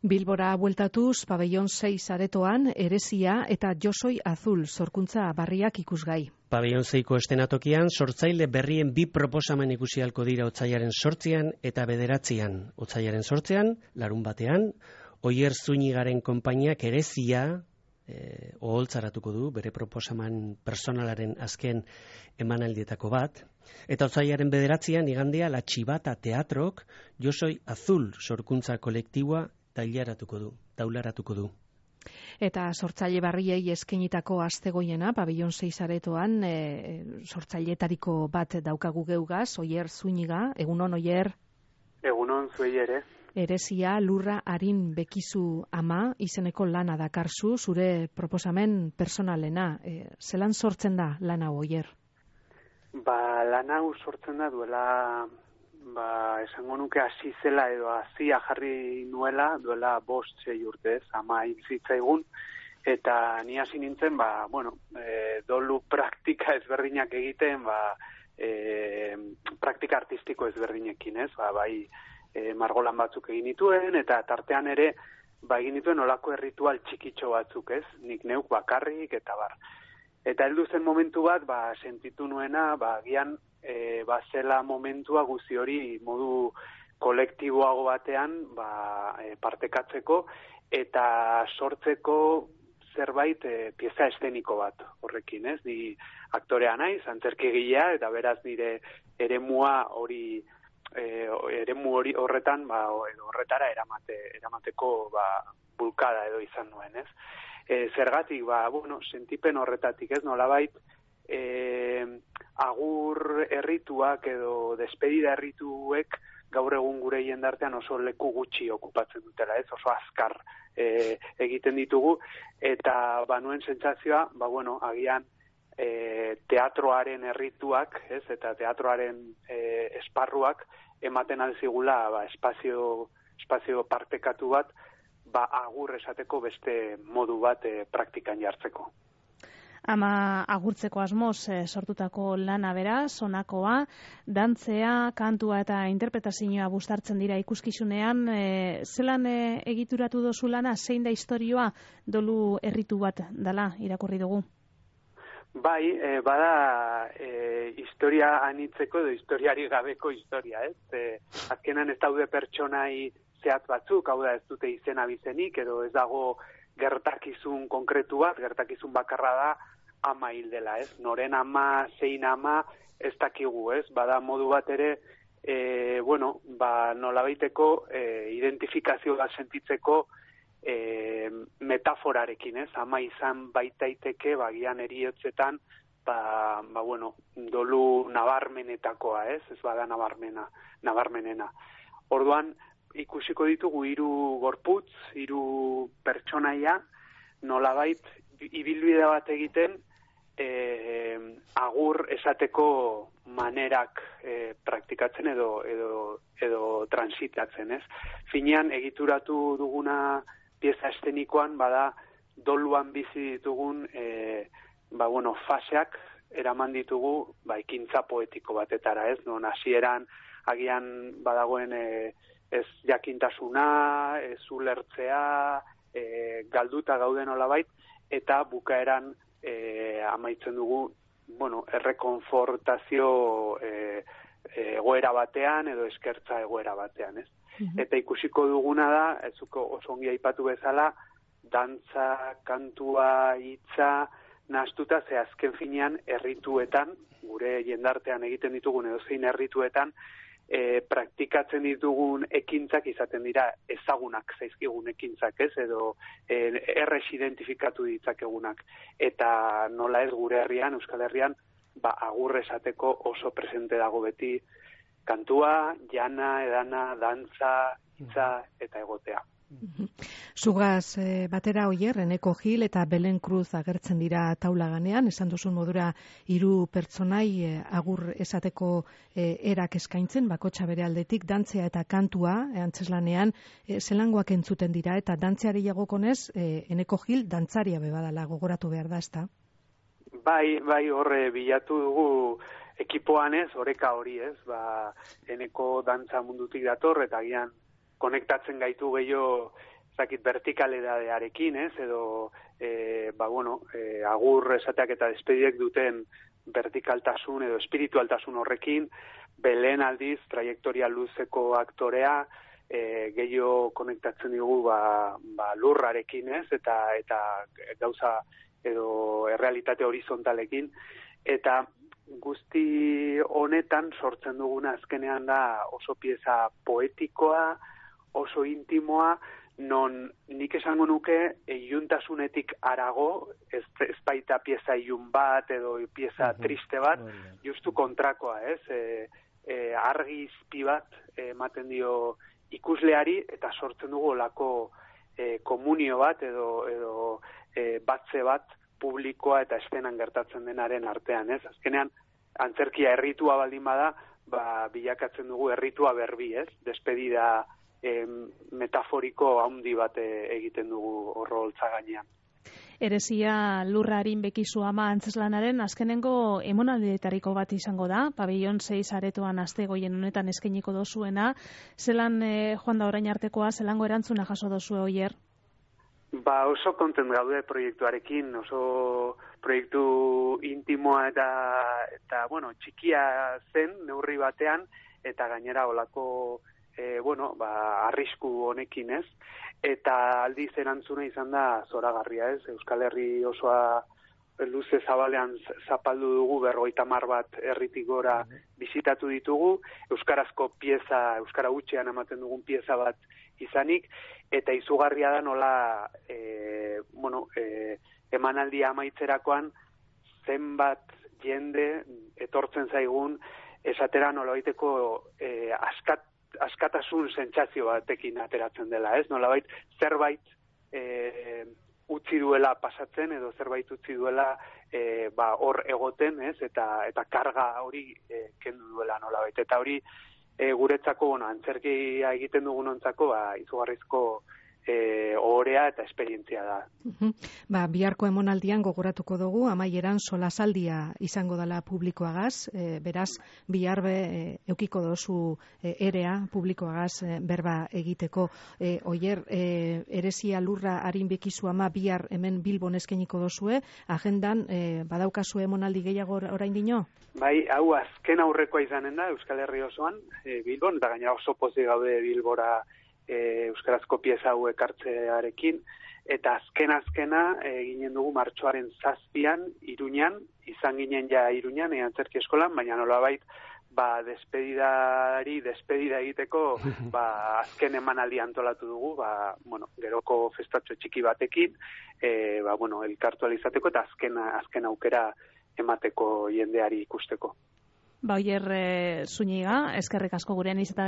Bilbora bueltatuz, pabellon 6 aretoan, Erezia eta Josoi Azul sorkuntza barriak ikusgai. Pabellon 6ko estenatokian, sortzaile berrien 2 proposamen ikusi ahalko dira otsailaren 8 eta 9. Otsailaren 8, larun batean, Oier Zunigaren konpainiak Erezia oholtzaratuko du, bere proposamen personalaren azken emanaldietako bat. Eta otsailaren 9, igandea, La Txibata Teatrok Josoi Azul sorkuntza kolektiboa taularatuko du. Eta sortzaile barriei eskenitako astegoiena, pabellon 6 aretoan, sortzailetariko bat daukagu geugaz, Oier Zuniga, egunon Oier? Egunon zuei ere. Erezia Lurra Arin Bekizu ama izeneko lana dakarzu, zure proposamen personalena. Zelan sortzen da lana Oier? Lan hau sortzen da duela, esango nuke hasi zela edo hasia jarri nuela, duela 5-6 urte, ama hilzitzaigun, eta ni hasi nintzen, dolu praktika ezberdinak egiten, praktika artistiko ezberdinekin, ez? Bai, margolan batzuk egin dituen, eta tartean ere, egin dituen olako erritual txikitxo batzuk, ez? Nik neuk bakarrik, eta bar. Eta heldu zen momentu bat, sentitu nuena, agian, zela momentua guzti hori modu kolektiboago batean, partekatzeko, eta sortzeko zerbait pieza esteniko bat horrekin, ez? Ni aktorea naiz, antzerkigilea, eta beraz nire eremua hori horretan, edo horretara eramateko bulkada edo izan nuen, ez? Zergatik, sentipen horretatik, ez? Nolabait, agur errituak edo despedida errituek gaur egun gure jendartean oso leku gutxi okupatzen dutela, ez? Oso azkar egiten ditugu, eta nuen sentsazioa, agian teatroaren errituak, ez? Eta teatroaren esparruak ematen alzigula espazio partekatu bat, agur esateko beste modu bat praktikan jartzeko. Ama agurtzeko asmoz sortutako lana bera, sonakoa, dantzea, kantua eta interpretazioa bustartzen dira ikuskizunean. Zelan egituratu dozu lana, zein da istorioa dolu erritu bat dela irakurri dugu? Bai, bada historia anitzeko edo historiari gabeko historia, ez? Azkenan ez daude pertsonai zehatz batzuk, hau da ez dute izen abizenik, edo ez dago gertakizun konkretu bat, gertakizun bakarra da ama hil dela, ez? Noren ama, zein ama, ez dakigu, ez? Bada modu bat ere, nolabaiteko identifikazio bat sentitzeko metaforarekin, ez? Ama izan baitaiteke, gian eriotzetan, dolu nabarmenetakoa, ez? Ez bada nabarmenena. Orduan, ikusiko ditugu 3 gorputz, 3 pertsonaia, nolabait ibilbide bat egiten agur esateko manerak praktikatzen edo transitatzen, ez? Finean egituratu duguna pieza estenikoan bada doluan bizi ditugun faseak eraman ditugu ekintza poetiko batetara, ez? Non hasieran agian badagoen ez jakintasuna, ez ulertzea, galduta gauden nolabait, eta bukaeran amaitzen dugu, errekonfortazio egoera batean edo eskertza egoera batean, ez? Eta ikusiko duguna da, ezuko oso ongi aipatu bezala, dantza, kantua, hitza, nahastuta, ze azken finean errituetan, gure jendartean egiten ditugun edo zein errituetan, praktikatzen ditugun ekintzak izaten dira ezagunak zaizkigun ekintzak, ez? Edo errez identifikatu ditzakegunak. Eta nola ez gure herrian, Euskal Herrian, agur esateko oso presente dago beti kantua, jana, edana, dantza, hitza eta egotea. Zugaz batera Oier, Eneko Gil eta Belen Cruz agertzen dira taula ganean, esan duzun modura 3 pertsonai agur esateko erak eskaintzen, bakotxa bere aldetik, dantzea eta kantua, antzeslanean, zelangoak entzuten dira, eta dantzeari jagokonez, Eneko Gil dantzaria bebadala gogoratu behar da, ezta? Bai, horre bilatu dugu ekipoan ez, oreka hori ez, Eneko dantza mundutik dator, eta agian konektatzen gaitu gehiago zakit vertikalidadearekin, ez, edo agur esateak eta despediek duten vertikaltasun edo espiritualtasun horrekin, belen aldiz, trajektoria luzeko aktorea, gehiago konektatzen dugu lurrarekin, ez, eta gauza edo errealitate horizontalekin, eta guzti honetan sortzen duguna azkenean da oso pieza poetikoa, oso intimoa, non nik esango nuke iluntasunetik harago, ez baita pieza ilun bat edo pieza triste bat, justu kontrakoa, ez? Argi izpi bat ematen dio ikusleari eta sortzen dugu olako komunio bat edo batze bat publikoa eta estenan gertatzen denaren artean, ez? Azkenean, antzerkia erritua baldin bada, bilakatzen dugu erritua berbi, ez? Despedida metaforiko handi bat egiten dugu horroltza gainean. Eresia lurrarin bekizu ama antzeslanaren azkenengo emonaldietariko bat izango da, pabellon 6 aretoan astegoien honetan eskainiko dozuena. Zelan joan da orain artekoa, zelango erantzuna jaso dozu Oier? Oso kontent gaude proiektuarekin, oso proiektu intimoa eta txikia zen neurri batean, eta gainera olako arrisku honekin, ez? Eta aldiz erantzuna izan da zoragarria, ez? Euskal Herri osoa luze zabalean zapaldu dugu, 50 bat herritik gora bisitatu ditugu, euskarazko pieza, euskara hutsean ematen dugun pieza bat izanik, eta izugarria da nola emanaldia amaitzerakoan zenbat jende etortzen zaigun esatera nolabaiteko askatasun sentsazio batekin ateratzen dela, ez? Nolabait zerbait utzi duela pasatzen edo zerbait utzi duela hor egoten, ez? Eta karga hori kendu duela nolabait. Eta hori guretzako, antzerkia egiten dugunontzako izugarrizko ohorea eta esperientzia da. Biharko emonaldian gogoratuko dugu, amaieran solasaldia izango dela publikoagaz, beraz, bihar eukiko dozu erea publikoagaz berba egiteko. Oier, Eresia lurra harin bekizu ama bihar hemen Bilbon eskainiko dozue, agendan badaukazu emonaldi gehiago orain dino? Bai, hau azken aurrekoa izanen da, Euskal Herri osoan, Bilbon, eta gainera oso pozik gaude Bilbora euskarazko pieza hau ekartzearekin, eta azkena eginen dugu martxoaren 7an Iruñan, izan ginen ja Iruñan, antzerki eskolan, baina nolabait despedida egiteko azken emanaldi antolatu dugu, geroko festatxo txiki batekin, elkartu alizateko eta azken aukera emateko jendeari ikusteko. Oier Zúñiga, eskerrik asko gurean izan